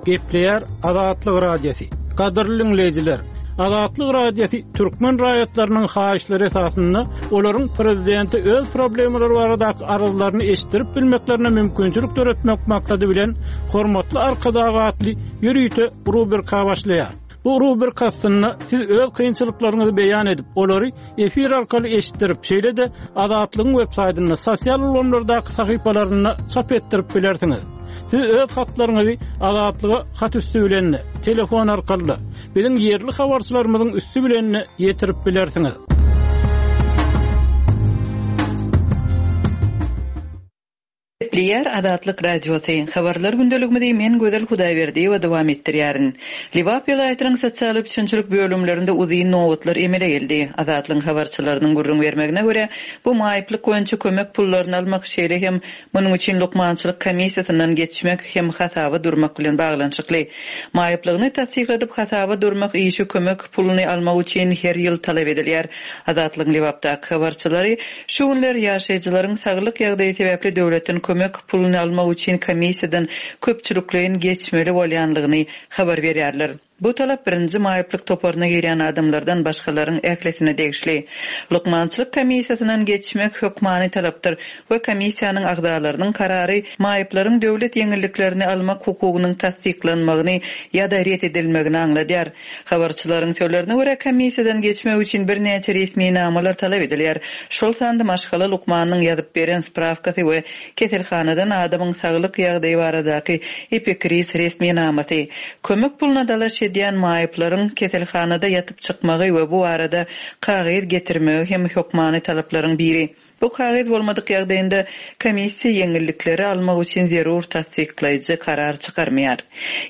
Gepleýär Azatlyk Radiosy. Gadyrly diňleýjiler, Azatlyk Radiosy türkmen raýatlarynyň haýyşlary esasynda olaryň prezidente öz problemalary baradaky arzlaryny eşitdirip bilmeklerine mümkinçilik döretmek maksady bilen Hormatly Arkadag atly ýörite rubrika başlaýar. Bu rubrika astynda siz öz kynçylyklaryňyzy beýan edip, olary efir arkaly eşitdirip, şeýle-de Azatlygyň websaýtynda, sosial ulgamlardaky sahypalarynda çap etdirip bilersiňiz. Siz öz hatlaryňyzy Azatlyga hat üsti bilen-de, telefon arkaly-da, biziň ýerli habarçylarymyzyň üsti bilen-de ýetirip bilersiňiz. Gepleýär Azatlyk Radiosy, Habarlar gündeligimizi men Gözel Hudaýberdiýewa dowam etdirýärin. Lebap welaýatynyň sosial üpjünçilik bölümlerinde uzyn nobatlar emele geldi. Azatlygyň habarçylarynyň gürrüň bermegine görä, bu maýyplyk boýunça kömek pullaryny almak, şeýle hem munuň üçin lukmançylyk komissiýasyndan geçmek hem hasaba durmak bilen baglanyşykly. Maýyplygyny tassykladyp hasaba durmak işi kömek puluny almak üçin her ýyl talap edilýär. Azatlygyň Lebapdaky habarçylary Şu günler ýaşaýjylaryň saglyk ýagdaýy sebäpli döwletden kömek puluny almak üçin komissiýadan köpçülikleýin geçmeli bolýanlygyny habar berýärler. Bu talap birinji maýyplyk toparyna girýän adamlardan başgalaryň ählisine degişli. Lukmançylyk komissiýasyndan geçmek hökmany talapdyr we komissiýanyň agzalarynyň karary maýyplaryň döwlet ýeňilliklerini almak hukugynyň tassyklanmagyny ýa-da ret edilmegini aňladýar. Habarçylaryň sözlerine görä, komissiýadan geçmek üçin birnäçe resminamalar talap edilýär, şol sanda maşgala lukmanynyň ýazyp beren sprawkasy we keselhanadan adamyň saglyk ýagdaýy baradaky epikriz resminamasy. Kömek puluna dalaş edýän maýyplaryň keselhanada ýatyp çykmagy we bu barada kagyz getirmegi hem hökmany talaplaryň biri. Bu kagyz bolmadyk ýagdaýynda komissiýa ýeňillikleri almak üçin zerur tassyklaýjy karar çykarmaýar.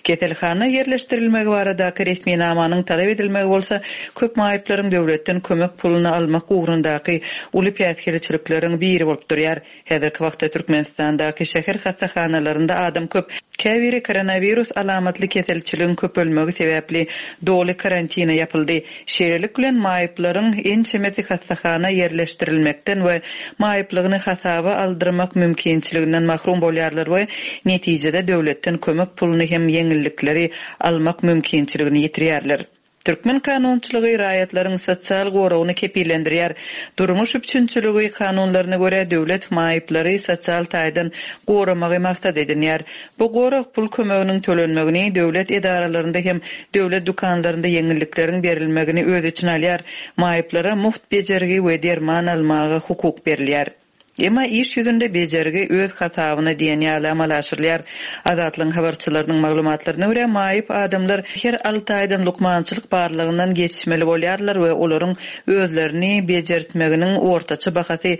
Keselhana ýerleşdirilmegi baradaky resminamanyň talap edilmegi bolsa köp maýyplaryň döwletden kömek puluny almak ugrundaky uly päsgelçilikleriň biri bolup durýar. Häzirki wagtda Türkmenistandaky şäher hassahanalarynda adam köp. Käbiri koronawirus alamatly keselçiligiň köpelmegi sebäpli doly karantine ýapyldy. Şeýlelik bilen, maýyplaryň ençemesi hassahana ýerleşdirilmekden we maýyplygyny hasaba aldyrmak mümkinçiliginden mahrum bolýarlar we netijede döwletden kömek puluny hem ýeňillikleri almak mümkinçiligini ýitirýärler. Türkmen kanunçylygy raýatlaryň sosial goragyny kepillendirýär. Durmuş üpjünçiligi kanunlaryna görä, döwlet maýyplary sosial taýdan goramagy maksat edinýär. Bu gorag pul kömeginiň tölenmegini, döwlet edaralarynda hem döwlet dükanlarynda ýeňillikleriň berilmegini öz içine alýar. Maýyplara mugt bejergi we derman almaga hukuk berilýär. Emma iş ýüzünde bejergi öz hasabyna diýen ýaly amala aşyrylýar. Azatlygyň habarçylarynyň maglumatlaryna görä, maýyp adamlar her alty aýdan lukmançylyk barlagyndan geçmeli bolýarlar we olaryň özlerini bejertmeginiň ortaça bahasy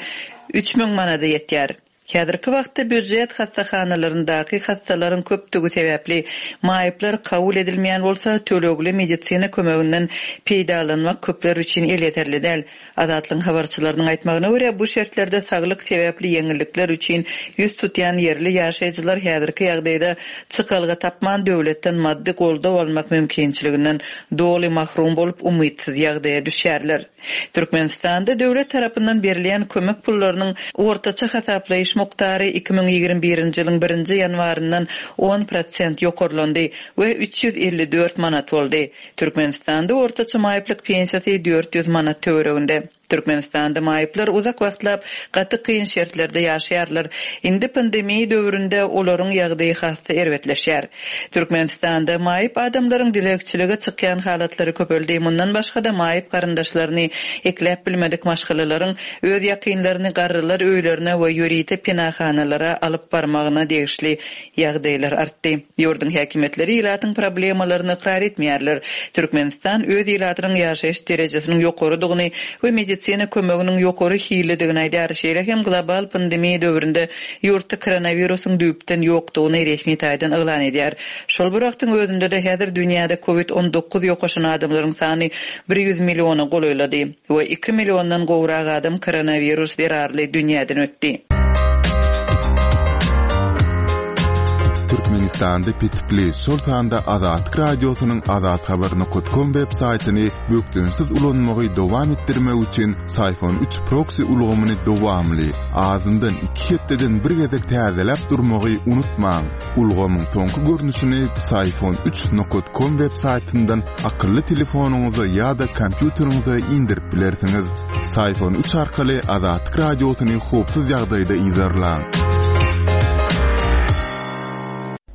3000 manada ýetýär. Häzirki wagtda býujet hassahanalaryndaky hassalaryň köpdügi sebäpli, maýyplar kabul edilmeýän bolsa, tölegli medisina kömeginden peýdalanmak köpler üçin elýeterli däl. Azatlygyň habarçylarynyň aýtmagyna görä, bu şertlerde saglyk sebäpli ýeňillikler üçin ýüz tutýan ýerli ýaşaýjylar häzirki ýagdaýda çykalga tapman, döwletden maddy goldaw almak mümkinçiliginden doly mahrum bolup, umytsyz ýagdaýa düşýärler. Türkmenistanda döwlet tarapyndan berilýän kömek pullarynyň ortaça hasaplaýyş mukdary 2021-nji ýylyň birinji ýanwaryndan on prosent ýokarlandy we 354 manat boldy. Türkmenistanda ortaça maýyplyk pensiýasy 400 manat töwereginde. Türkmenistanda maýyplar uzak wagtlap gaty kyn şertlerde ýaşaýarlar. Indi pandemiýa döwründe olaryň ýagdaýy has-da erbetleşýär. Türkmenistanda maýyp adamlaryň dilegçilige çykýan halatlary köpeldi. Mundan başga-da maýyp garyndaşlaryny ekläp bilmedik maşgalalaryň öz ýakynlaryny garrylar öýlerine we ýörite penahanalara alyp barmagyna degişli ýagdaýlar artdy. Ýurduň häkimiýetleri ilatyň problemalaryny ykrar etmeýärler. Türkmenistan öz ilatynyň ýaşaýyş derejesiniň ýokarydygyny we medisina kömeginiň ýokary hillidigini aýdýar. Şeýle hem global pandemiýa döwründe ýurtda koronawirusyň düýpden ýokdugyny resmi taýdan yglan edýär. Şol bir wagtyň özünde-de häzir dünýäde covid 19 ýokaşan adamlaryň sany 100 milliona golaýlady. We iki milliondan gowrak adam koronawirus zerarly dünýäden ötdi. Türkmenistanda petikli, şol sanda Azatlyk Radiosynyň azathabar nokat kom web saýtyny bökdençsiz ulanmagy dowam etdirmek üçin Syfon üç proksi ulgamyny dowamly, azyndan iki hepdeden bir gezek täzeläp durmagy unutmaň. Ulgamyň soňky görnüşini Psiphon üç nokat kom web saýtyndan akylly telefonyňyza ýa-da kompýuteriňize indirip bilersiňiz. Psiphon üç arkaly Azatlyk Radiosyny howpsuz ýagdaýda yzarlaň.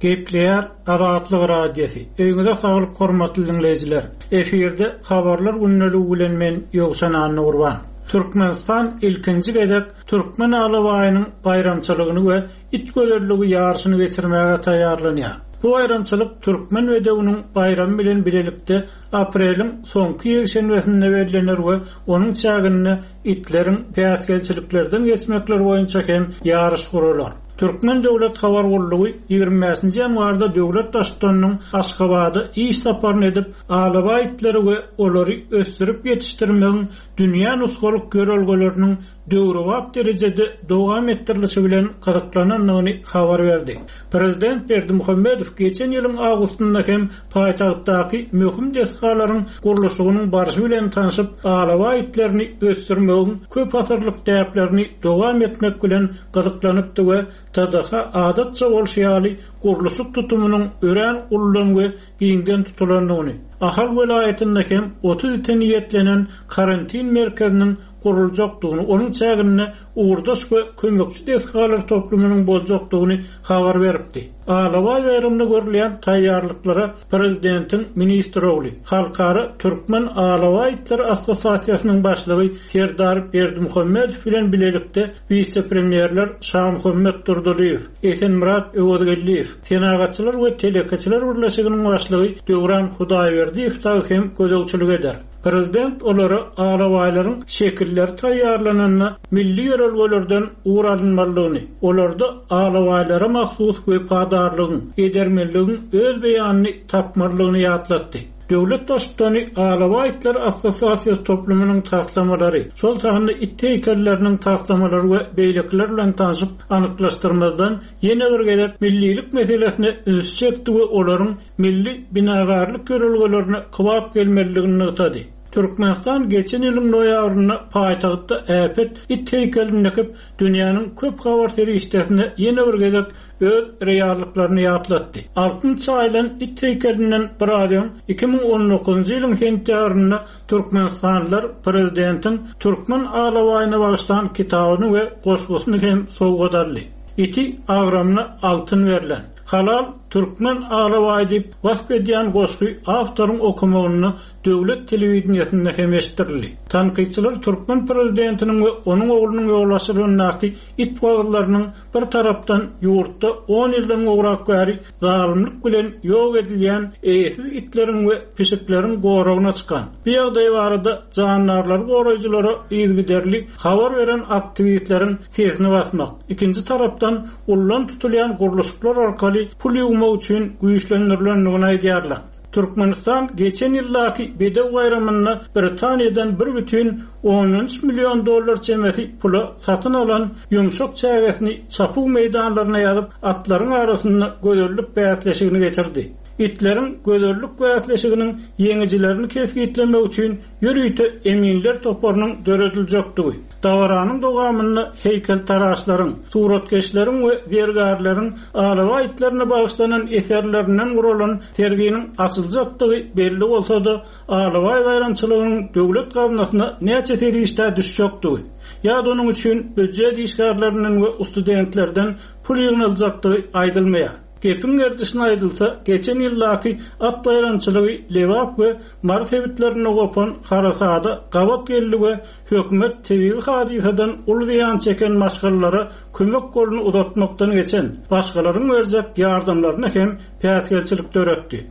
Gepleýär Azatlyk Radiosy. Öýüňize saglyk hormatly diňleýjiler. Efirde Habarlar gündeligi bilen men Ýowşan Annagurban. Türkmenistan ilkinji gezek Türkmen alabaýynyň baýramçylygyny we it gözelligi ýaryşyny geçirmäge taýýarlanýar. Bu baýramçylyk Türkmen bedewiniň baýramy bilen bilelikde apreliň soňky ýekşenbesinde bellener we onuň çäginde itleriň päsgelçiliklerden geçmekleri boýunça hem ýaryş guralar. Türkmen döwlet habar gullugy 25-nji ýanwarda döwlet Baştutanynyň Aşgabada iş saparyny edip, alabaý itleri we olary ösdürip ýetişdirmegiň dünýä nusgalyk ýörelgeleriniň döwrebap derejede dowam etdirilişi bilen gyzyklanandygyny habar berdi. Prezident Berdimuhamedow geçen ýylyň awgustynda hem paýtagtdaky möhüm desgalaryň gurluşygynyň barşy bilen tanşyp, alabaý itlerini ösdürmegiň köp asyrlyk däplerini dowam etmek bilen gyzyklanypdy we TDH adatça bolşy ýaly gurluşyk tutumynyň örän uludan we giňden tutulandygyny, Ahal welaýatynda hem 30 ite niýetlenen karantin merkeziniň guruljakdygyny, onuň çäginde ugurdaş we kömekçi desgalar toplumynyň boljakdygyny habar beripdi. Alabaý baýramyna görülýän taýýarlyklara prezidentiň ministr ogly, Halkara türkmen alabaý itleri assosiasiýasynyň başlygy Serdar Berdimuhamedow bilen bilelikde wise-premýerler Şamuhammet Durdylyýew, Esenmyrat Öwezgeldiýew, Senagatçylar we telekeçiler birleşiginiň başlygy Döwran Hudaýberdiýew dagy hem gözegçilik eder. Prezident olara alabaýlaryň şekilleri taýýarlananda milli ýörelgelerden ugur alynmalydygyny, olarda alabaýlara mahsus wepadarlygyň, edermenligiň öz beýanyny tapmalydygyny ýatlatdy. Döwlet Baştutany Alabaý itleri assosiasiýasy toplumynyň taslamalary, şol sanda it heýkelleriniň taslamalary we beýlekiler bilen tanşyp, anyklaşdyrmazdan, ýene bir gezek millilik meselesine ünsi çekdi we olaryň milli binagärlik ýörelgelerine kybap gelmelidigini nygtady. Türkmenistan geçen ýylyň noýabrynda paýtagtda äpet it heýkelini dikip, dünýäniň köp habar serişdesine ýene bir gezek öz reallyklaryny ýatlatdy. Altyn çaýylan it heýkelinden biraz öň, 2019-njy ýylyň sentýabrynda türkmenistanlylar prezidentiň türkmen alabaýyna bagyşlan kitabyny we goşgusyny hem sowgat aldy. Iti agramyna altyn berlen. Halal türkmen alabaýy diýip wasp edýän goşgy awtoryň okamagynda döwlet telewideniýesinde hem eşitdirildi. Tankytçylar türkmen prezidentiniň we onuň oglunyň ýolbaşçylygyndaky it wagyzlarynyň bir tarapdan ýurtda on ýyldan gowrak bäri zalymlyk bilen ýok edilýän eýesiz itleriň we pişikleriň goragyna çykan, bu ýagdaý barada jandarlary goraýjylara yzygiderli habar beren aktiwistleriň sesini basmak, ikinji tarapdan ullan tutulýan gurluşyklar arkaly pul ýuwmak üçin güýçlendirilendigini aýdýarlar. Türkmenistan geçen ýyldaky Bedew baýramynda Britaniýadan bir bütin ondan üç million dollar çemesi pula satyn alan ýumşak çägesini çapuw meýdanlaryna ýazyp, atlaryň arasynda gözellik bäsleşigini geçirdi. Itleriň gözellik bäsleşiginiň ýeňijilerini kesgitlemek üçin ýörite eminler toparynyň dörediljekdigi, dabaranyň dowamynda heýkeltaraşlaryň, suratkeşleriň we zergärleriň alabaý itlerine bagyşlanan eserlerinden guralan serginiň açyljakdygy belli bolsa-da, alabaý baýramçylygynyň döwlet gaznasyna näçe serişdä düşjekdigi ýa-da onuň üçin býujet işgärlerinden we ustudentlerden pul ýygnaljakdygy aýdylmaýar. Gepiň gerdişine aýdylsa, geçen ýyldaky at baýramçylygy Lebap we Mary sebitlerinde gopan harasada gabat geldi we hökümet tebigy hadysadan uly zyýan çeken maşgalalara kömek goluny uzatmakdan geçen, başgalaryň berjek ýardamlaryna hem päsgelçilik döretdi.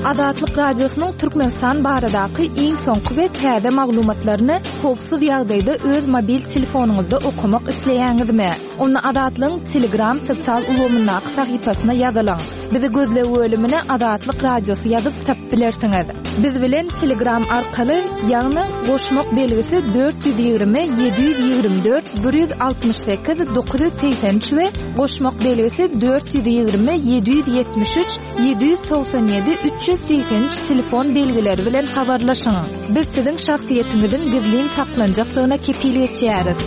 Azatlyk Radiosynyň Türkmenistan baradaky iň soňky we täze maglumatlaryny howpsuz ýagdaýda öz mobil telefonyňyzda okamak isleýäňizmi? Onda Azatlygyň Telegram sosial ulgamyndaky sahypasyna ýazylyň. Bizi gözleg bölümine Azatlyk Radiosy ýazyp tapyp bilersiňiz. Biz bilen Telegram arkaly, ýagny goşmak belgisi 420 724 168 983 we goşmak belgisi 420 773 797 383 telefon belgileri bilen habarlaşyň. Biz siziň şahsyýetiňiziň gizlin saklanjakdygyna kepil geçýäris.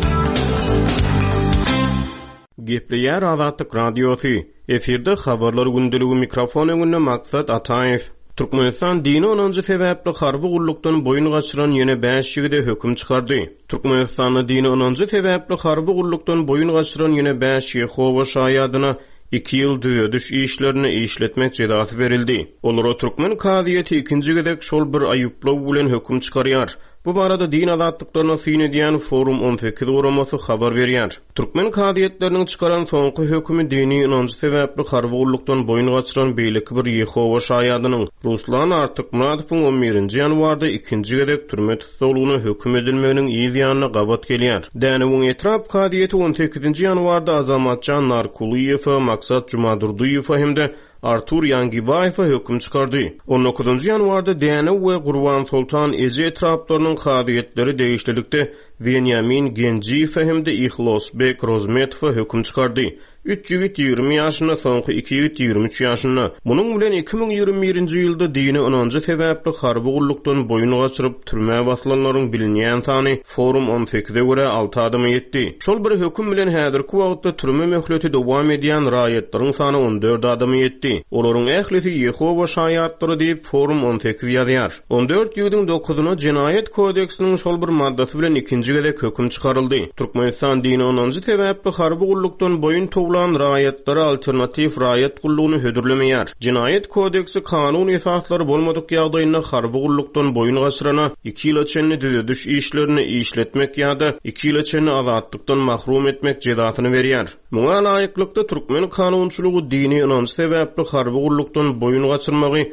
Gepleýär Azatlyk Radiosy, Efirde Habarlar gündeligi mikrofon öňünde Maksat Ataýew. Türkmenistan dini ynanjy sebäpli harby gullukdan boýun gaçyran ýene bäş ýigide höküm çykardy. Türkmenistanda dini ynanjy sebäpli harby gullukdan boýun gaçyran ýene bäş Ýehowa şaýadyna iki ýyl düzediş işlerinde işletmek jezasy berildi. Olara türkmen kazyýeti ikinji gezek şol bir aýyplaw bilen höküm çykarýar. Bu barada din azatlyklaryna syn edýän Forum 18 guramasy habar berýär. Türkmen kazyýetleriniň çykaran soňky hökümi dini ynanjy sebäpli harby gullukdan boýun gaçyran beýleki bir Ýehowa şaýadynyň, Ruslan Artykmyradowyň on birinji ýanwarda ikinji gezek türme tussaglygyna höküm edilmeginiň yz ýanyna gabat gelýär. Dänewiň etrap kazyýeti on sekizinji ýanwarda Azamatjan Narkulyýewe, Maksat Jumadurdyýewe hem-de Artur Ýangibaýewe höküm çykardy. On dokuzynjy ýanwarda Dänew we Gurbansoltan eje etraplarynyň kazyýetleri degişlilikde Wenýamin Genjiýewe hem-de Ihlosbek Rozmetowa höküm çykardy. Üç ýigit 20 ýaşynda, soňky iki ýigit 23 ýaşynda. Munuň bilen 2021 nji ýylda dini ynanjy sebäpli harby gullukdan boýun gaçyryp, türmä basylanlaryň bilinýän sany Forum on sekize görä alty adama ýetdi. Şol bir höküm bilen häzirki wagtda türme möhleti dowam edýän raýatlaryň sany on dört adama ýetdi. Olaryň ählisi Ýehowa şaýatlary diýip, Forum 18 ýazýar. On dört ýigidiň dokuzyna Jenaýat kodeksiniň şol bir maddasy bilen ikinji gezek höküm çykaryldy. Türkmenistan dini ynanjy sebäpli harby gullukdan boýun towlan raýatlara alternatiw raýat gullugyny hödürlemeýär. Jenaýat kodeksi kanun esaslary bolmadyk ýagdaýynda harby gullukdan boýun gaçyrana iki ýyla çenli düzediş işlerinde işletmek ýa-da iki ýyla çenli azatlykdan mahrum etmek jezasyny berýär. Muňa laýyklykda, türkmen kanunçylygy dini ynanç sebäpli harby gullukdan boýun gaçyrmagy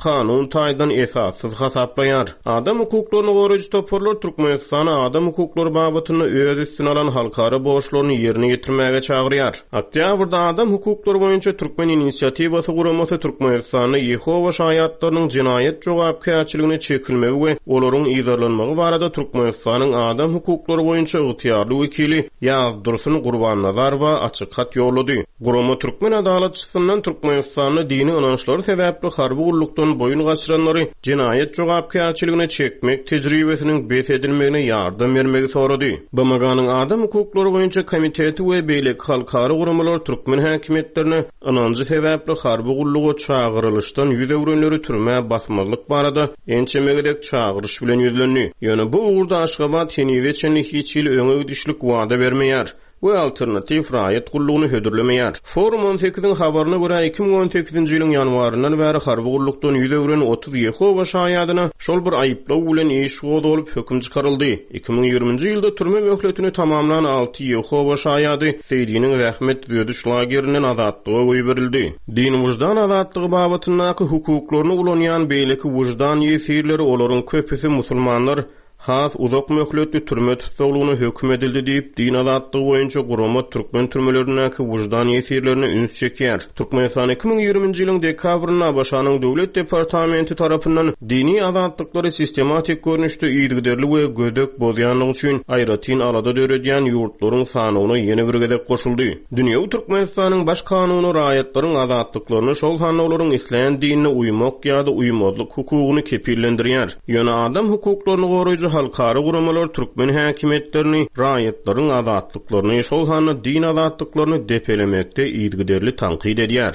kanun taýdan esassyz hasaplaýar. Adam hukuklaryny goraýjy toparlar Türkmenistany adam hukuklary babatynda öz üstüne alan halkara borçlaryny ýerine ýetirmäge çagyrýar. Oktýabrda Adam hukuklary boýunça Türkmen inisiatiwasy guramasy Türkmenistanda Ýehowa şaýatlarynyň jenaýat jogapkärçiligine çekilmegi we olaryň yzarlanmagy barada Türkmenistanyň adam hukuklary boýunça ygtyýarly wekili Ýazdursun Gurbannazarowa açyk hat ýollady. Gurama türkmen adalatçysyndan Türkmenistanda dini ynançlary sebäpli harby gullukdan boýun gaçyranlary jenaýat jogapkärçiligine çekmek tejribesiniň bes edilmegine ýardam bermegi sorady. BMG-niň Adam hukuklary boýunça komiteti we beýleki halkara guramalar türkmen häkimiýetlerine ynanjy sebäpli harby gulluga çagyrylyşdan ýüz öwrenleri türmä basmazlyk barada ençeme gezek çagyryş bilen ýüzlendi. Ýöne bu ugurda Aşgabat henize çenli hiç hili öňe gidişlik wada bermeýär. we alternatiw raýat gullugyny hödürlemeýär. Forum on sekiziň habaryna görä, 2018-nji ýylyň ýanwaryndan bäri harby gullukdan ýüz öwren 30 Ýehowa Şaýadyna şol bir aýyplaw bilen iş gozgalyp, höküm çykaryldy. 2020-nji ýylda türme möhletini tamamlan alty Ýehowa Şaýady Seýdiniň zähmet düzediş lagerinden azatlyga goýberildi. Din-wyždan azatlygy babatyndaky hukuklaryny ulanýan beýleki wyždan ýesirleri, olaryň köpüsi musulmanlar, has uzak möhletli türme tussaglygyna höküm edildi diýip, din azatlygy boýunça gurama türkmen türmelerindäki wyždan ýesirlerine üns çekýär. Türkmenistan 2020-nji ýylyň dekabrynda ABŞ-nyň Döwlet departamenti tarapyndan dini azatlyklary sistematik görnüşde yzygiderli we gödek bozýanlygy üçin aýratyn alada döredýän ýurtlaryň sanawyna ýene bir gezek goşuldy. Dünýewi Türkmenistanyň Baş Kanuny raýatlaryň azatlyklaryny, şol sanda olaryň islän dinine uýmak ýa-da uýmazlyk hukugyny kepillendirýär. Ýöne adam hukuklaryny goraýjy halkara guramalar türkmen häkimiýetlerini raýatlaryň azatlyklaryny, şol sanda din azatlyklaryny depelemekde yzygiderli tankyt edýär.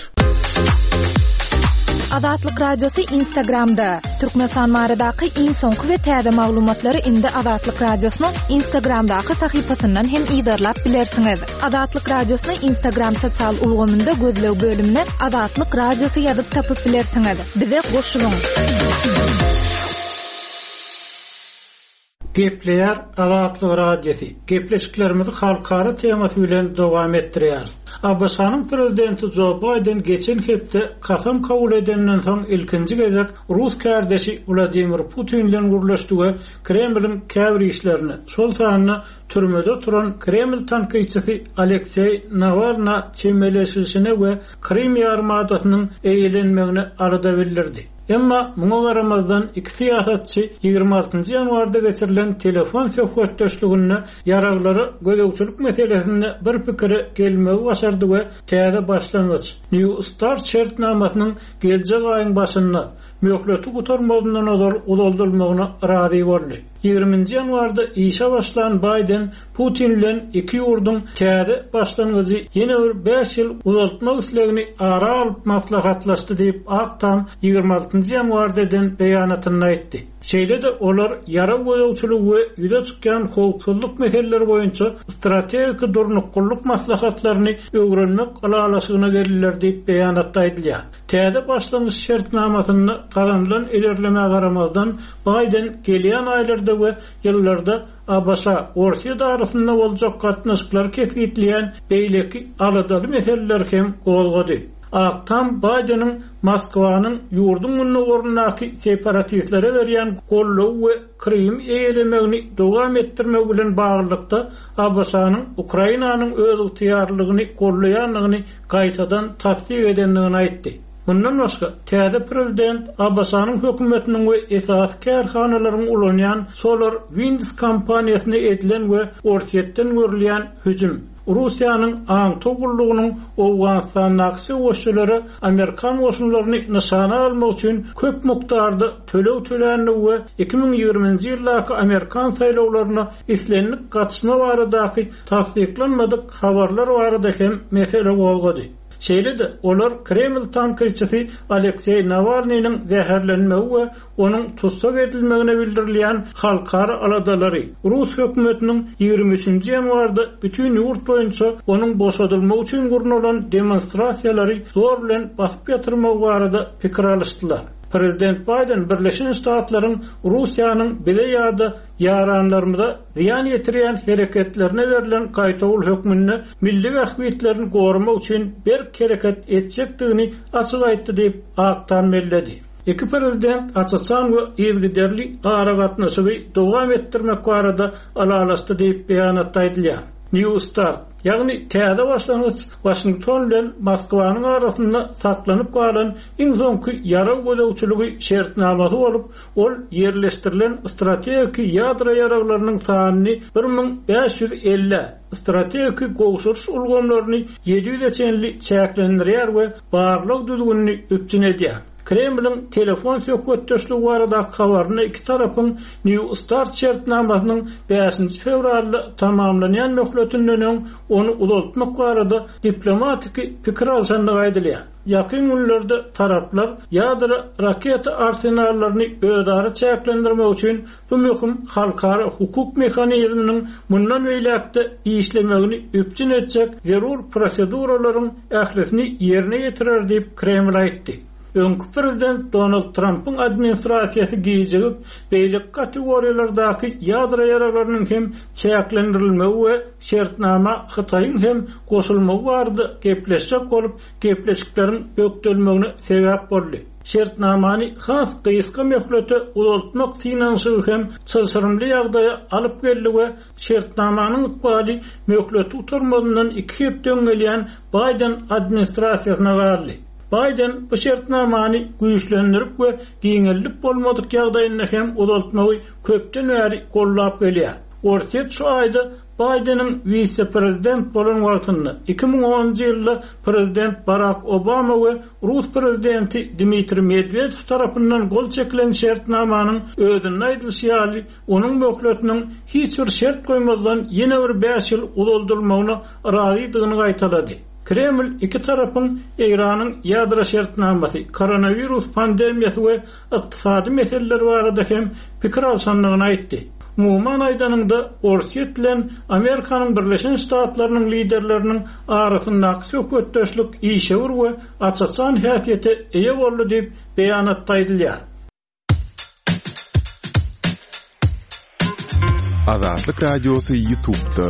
Azatlyk Radiosy Instagramda, Türkmenistan baradaky iň soňky we täze maglumatlary indi Azatlyk Radiosynyň Instagramdaky sahypasyndan hem yzarlap bilersiňiz. Azatlyk Radiosyny Instagram sosial ulgamynda gözleg bölümine Azatlyk Radiosy ýazyp tapyp bilersiňiz. Bize goşulyň! Gepleýär Azatlyk Radiosy, Gepleşiklerimizi halkara temasy bilen dowam etdirýäris. ABŞ-nyň Prezidenti Jo Baýden geçen hepde kasam kabul edenden soň ilkinji gezek rus kärdeşi Wladimir Putin bilen gürleşdi we Kremliň käbir işlerine, şol sanda türmede oturan Kreml tankytçysy Alekseý Nawalna çemeleşilişine we Krym ýarymadasynyň eýelenmegine alada bildirdi. Emma muňa garamazdan, iki syýasatçy 26 nji ýanwarda geçirilen telefon söhbetdeşliginde ýaraglara gözegçilik meselesinde bir pikire gelmegi başardy we täze başlangyç, New Start şertnamasynyň geljek aýyň başynda, möhleti gutarmazyndan ozal uzaldylmagyna razy boldy. 20-nji ýanwarda işe başlan Baýden Putin bilen iki ýurduň täze başlangyjy ýene bir bäş ýyl uzaltmak islegini ara alyp maslahatlaşdy diýip, Ak Tam 26-njy ýanwarda eden beýanatynda aýtdy. Şeýle-de olar ýarag gözegçiligi we ýüze çykýan howpsuzlyk meseleleri boýunça strategik durnuklylyk maslahatlaryny öwrenmek ylalaşygyna geldiler diýip, beýanatda aýdylýar. Täze başlangyç şertnamasynda gazanylan ilerlemä garamazdan, Baýden gelýän aýlarda we ýyllarda ABŞ-, Orsýet arasynda boljak gatnaşyklary kesgitleýän beýleki aladaly meseleleri hem gozgady. Ak Tam Baýdeniň Moskwanyň ýurduň gündogaryndaky separatistlere berýän goldawy we Krymy eýelemegini dowam etdirmegi bilen baglylykda ABŞ-nyň Ukrainanyň özygtyýarlylygyny goldaýandygyny gaýtadan tassyk edendigini aýtdy. Mundan başga, täze prezident ABŞ-nyň hökümetiniň we esasy kärhanalaryň ulanýan Solar Winds kompaniýasyna edilen we Orsýetden görülýän hüjüm, Russiýanyň aňtaw gullugynyň Owganystandaky söweşçilere amerikan goşunlaryny nyşana almak üçin köp mukdarda töleg töländigi we 2020-nji ýyldaky amerikan saýlawlaryna islendik gatyşma baradaky tassyklanmadyk habarlar barada hem mesele gozgady. Şeýle-de, olar Kreml tankytçysy Alekseý Nawalnynyň zäherlenmegi we onuň tussag edilmegine bildirilýän halkara aladalary, rus hökümetiniň 23 nji ýanwarda bütin ýurt boýunça onuň boşadylmagy üçin gurnalan demonstrasiýalary zor bilen basyp ýatyrmagy barada pikir alyşdylar. Prezident Baýden Birleşen Ştatlaryň Russiýanyň bize ýa-da ýaranlarymyza zyýan ýetirýän hereketlerine berlen gaýtawul hökmünde milli bähbitlerini goramak üçin berk hereket etjekdigini açyk aýtdy diýip, Ak Tam belledi. Iki prezident aç-açan we yzygiderli aragatnaşygy dowam etdirmek barada ylalaşdy diýip, beýanatda aýdylýar. New Start, ýagny täze başlangyç Waşington bilen Moskwanyň arasynda saklanyp galan iň soňky ýarag gözegçiligi şertnamasy bolup, Ol ýerleşdirilen strategiki ýadro ýaraglarynyň sanyny 1550-ä, strategiki gowşuryş ulgamlaryny 700-e çenli çäklendirýär we barlag düzgünini üpjün edýär. Kremliň telefon söhbetdeşligi baradaky habarynda iki tarapyň New Start şertnamasynyň bäşinji fewralda tamamlanýan möhletinden öň ony uzaltmak barada diplomatiki pikir alşandygy aýdylýar. Ýakyn günlerde taraplar ýadro raketa arsenallaryny özara çäklendirmek üçin bu möhüm halkara hukuk mehanizminiň mundan beýläk-de işlemegini üpjün etjek zerur proseduralaryň ählisini ýerine ýetirer diýip, Kreml aýtdy. Öňki prezident Donald Trampyň administrasiýasy gijigip, beýleki kategoriýalardaky ýadro ýaraglarynyň hem çäklendirilmegi we şertnama Hytaýyň hem goşulmagy barada gepleşjek bolup, gepleşikleriň bökdelmegine sebäp boldy. Şertnamany has gysga möhlete uzaltmak synanyşygy hem çylşyrymly ýagdaýa alyp geldi we şertnamanyň ykbaly möhleti gutarmazyndan iki hepde öň gelýän Baýden administrasiýasyna galdy. Baýden bu şertnamany güýçlendirip we giňeldip bolmadyk ýagdaýynda hem uzaltmagy köpden bäri goldap gelýär. Orsýet şu aýda Baýdeniň wise-prezident bolan wagtynda, 2010-njy ýylda prezident Barak Obama we rus prezidenti Dmitriý Medwedew tarapyndan gol çekilen şertnamanyň özünde aýdylyşy ýaly, onuň möhletiniň hiç bir şert goýmazdan ýene bir bäş ýyl uzaldylmagyna razydygyny gaýtalady. Kreml iki tarapyň Eýranyň ýadro şertnamasy, koronawirus pandemiýasy we ykdysady meseleler barada hem pikir alşandygyny aýtdy. Umuman aýdanyňda, Orsýet bilen Amerikanyň Birleşen Ştatlarynyň liderleriniň arasyndaky söhbetdeşlik işewür we aç-açan häsiýete eýe boldy diýip, beýanatda aýdylýar. Azatlyk Radiosy Ýutubda.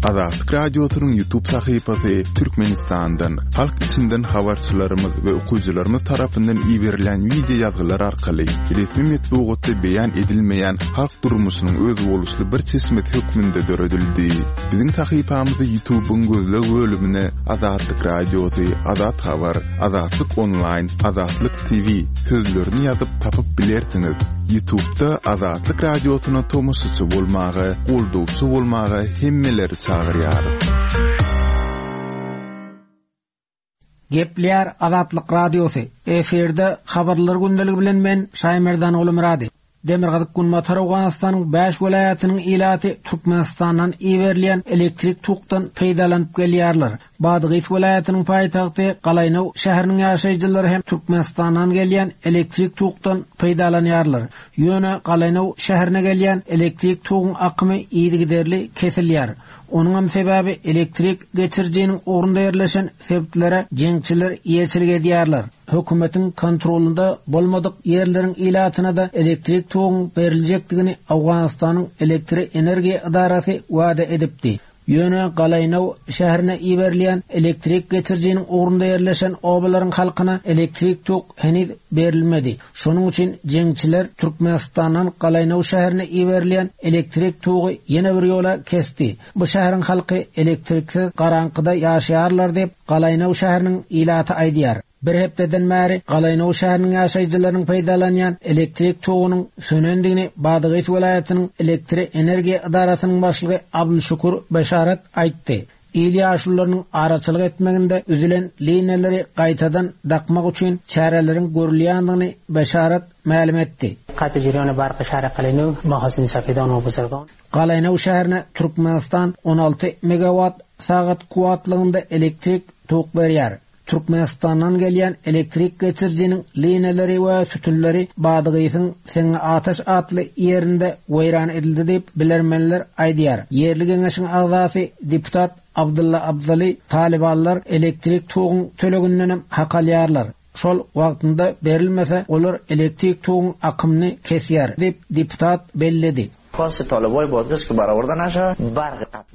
Azatlyk Radiosynyň Ýutub sahypasy Türkmenistandan, halk içinden habarçylarymyz we okyjylarymyz tarapyndan iberilýän wideo ýazgylar arkaly resmi metbugatda beýan edilmeýän halk durmuşynyň özboluşly bir çeşmesi hökmünde döredildi. Biziň sahypamyzy Ýutubyň gözleg bölümine Azatlyk Radiosy, Azat Habar, Azatlyk Onlaýn, Azatlyk TV sözlerini ýazyp tapyp bilersiňiz. Ýutubda Azatlyk Radiosyna tomaşaçy bolmaga, goldawçy bolmaga hemmeleri çagyrýarys. Gepleýär Azatlyk Radiosy, efirde Habarlar gündeligi bilen men Şaýmerdan Gulumyrady. Demirgazyk-Günbatar Owganystanyň bäş welaýatynyň ilaty Türkmenistandan iberilýän elektrik tokdan peýdalanyp gelýärler. Badgys welaýatynyň paýtagty Galaýnow şäheriniň ýaşaýjylary hem Türkmenistandan gelýän elektrik tokdan peýdalanýarlar. Ýöne Galaýnow şäherine gelýän elektrik toguň akymy yzygiderli kesilýär. Onuňam sebäbi elektrik geçirijiniň ugrunda ýerleşen sebitlere jeňçiler eýeçilik edýärler. Hökümetiň kontrolynda bolmadyk ýerleriň ilatyna-da elektrik toguň beriljekdigini Owganystanyň Elektroenergiýa ydarasy wada edipdi. Ýöne Galaýnow şäherine iberilýän elektrik geçirijiniň ugrunda ýerleşen obalaryň halkyna elektrik tok heniz berilmedi. Şonuň üçin jeňçiler Türkmenistandan Galaýnow şäherine iberilýän elektrik togy ýene bir ýola kesdi. Bu şäheriň halky elektriksiz garaňkyda ýaşaýarlar diýip, Galaýnow şäheriniň ilaty aýdýar. Bir hepdeden bäri Galaýnow şäheriniň ýaşaýjylarynyň peýdalanýan elektrik togunyň sönendigini Badagys welaýatynyň elektroenergiýa edarasynyň başlygy Abdulşukur Beşarat aýtdy. Il ýaşulularynyň araçylyk etmeginde üzülen liniýalary gaýtadan dakmak üçin çäreleriň görülýändigini Beşarat mälim etdi. Qat'i jerioni barqi shahri Qalaynov mahosin safidon va buzurgon. Galaýnow şäherine Türkmenistan 16 megawat sagat kuwwatlygynda elektrik tok berýär. Türkmenistandan gelýän elektrik geçirijiniň liniýalary we sütünleri Badgysyň Seňňi-Ataş atly ýerinde weýran edildi diýip, bilermenler aýdýar. Ýerli geňeşiň agzasy, deputat Abdylla Abdaly talybanlar elektrik toguň tölegindenem hak alýarlar. Şol wagtynda berilmese, olar elektrik toguň akymyny kesýär diýip, deputat belledi.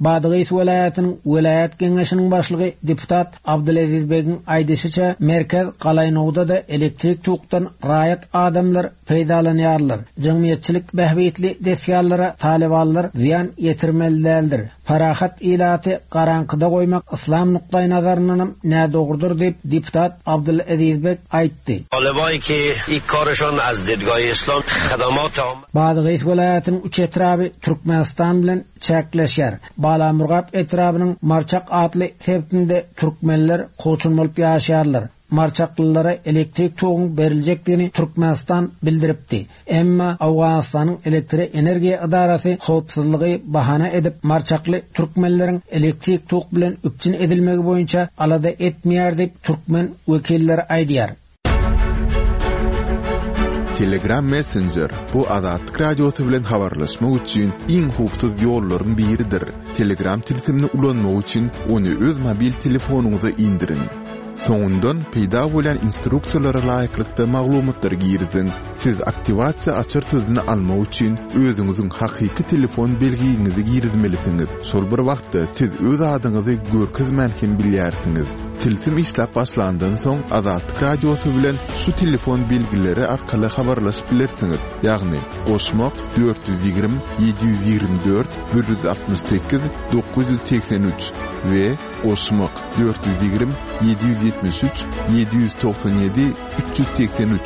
Badgys welaýatynyň welaýat geňeşiniň başlygy deputat Abdyleziz Begiň aýdyşyça, merkez Galaýnowda-da elektrik tokdan raýat adamlar peýdalanýarlar. Jemgyýetçilik bähbitli desgalara talybanlar zyýan ýetirmeli däldir. Parahat ilaty garaňkyda goýmak yslam nukdaýnazaryndanam nädogrudyr diýip, deputat Abdyleziz Beg aýtdy. Badagys welaýatynyň üç etraby Türkmenistan bilen çäkleşýär. Balamurgap etrabynyň Marçak atly sebitinde türkmenler kowçum bolup ýaşaýarlar. Marçaklylara elektrik toguň beriljekdigini Türkmenistan bildiripdi. Emma Owganystanyň Elektroenergiýa ydarasy howpsuzlygy bahana edip, marçakly türkmenleriň elektrik tok bilen üpjün edilmegi boýunça alada etmeýär diýip, türkmen wekilleri aýdýar. Telegram Messenger, bu Azatlyk Radiosy bilen habarlaşmak üçin iň howpsuz ýollaryň biridir. Telegram tilsimini ulanmak üçin ony öz mobil telefonyňyza indiriň. Soňundan peýda bolýan instruksiýalara laýyklykda maglumatlary giriziň. Siz aktiwasiýa açar sözüni almak üçin özüňiziň hakyky telefon belgiňizi girizmelisiňiz. Şol bir wagtda siz öz adyňyzy görkezmän hem bilýärsiňiz. Tilsim işläp başlandan soň Azatlyk Radiosy bilen şu telefon belgileri arkaly habarlaşyp bilersiňiz, ýagny, goşmak, 420 724 168 983 we goşmak, 420 773 797 383.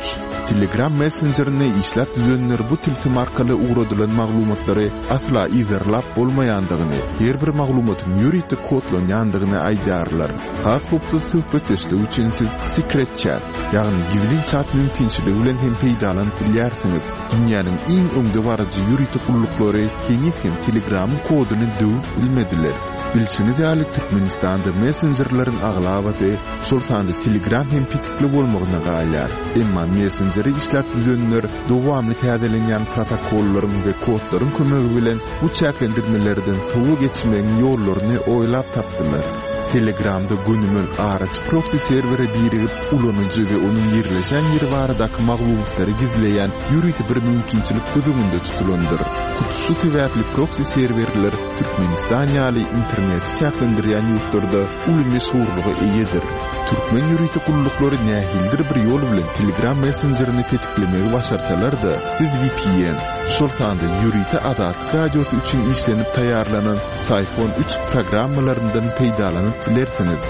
Telegram messenjerini işläp düzenler bu tilsim arkaly ugradylan maglumatlary asla yzarlap bolmaýandygyny, her bir maglumatyň ýörite kodlanýandygyny aýdýarlar. Has howpsuz söhbetdeşlik üçin siz Secret Chat, ýagny gizlin çat mümkinçiligi bilen hem peýdalanyp bilýärsiňiz. Dünýäniň iň öňdebaryjy ýörite gulluklary heniz hem Telegramyň koduny döwüp bilmediler. Bilşiňiz ýaly, Türkmenistanda messenjerleriň aglabasy, şol sanda Telegram hem petikli bolmagyna galýar. Emma messenjeri işläp düzenler dowamly täzelenýän protokollaryň we kodlaryň kömegi bilen bu çäklendirmelerden sowa geçmegiň ýollaryny oýlap tapdylar. Telegramda gönümel araçy proksi serwere birigip, ulanyjy we onuň ýerleşen ýeri baradaky maglumatlary gizleýän ýörite bir mümkinçilik göz öňünde tutulandyr. Hut şu sebäpli proksi serwerler Türkmenistan ýaly interneti çäklendirýän ýurtlarda uly meşhurlyga eýedir. Türkmen ýörite gulluklary nähilidir bir ýol bilen Telegram messenjerini petiklemegi başarsalar-da, siz vpn, şol sanda ýörite Azatlyk Radiosy üçin işlenip taýýarlanan Syphon üç programmalaryndan peýdalanyp bilersiňiz.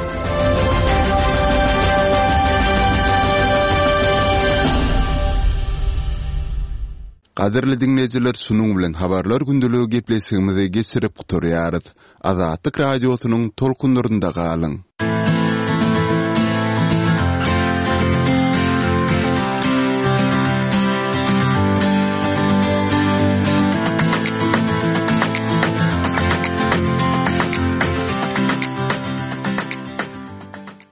Gadyrly diňleýjiler şunuň bilen Habarlar gündeligi gepleşigimizi geçirip gutarýarys. Azatlyk Radiosynyň tolkunlarynda galyň!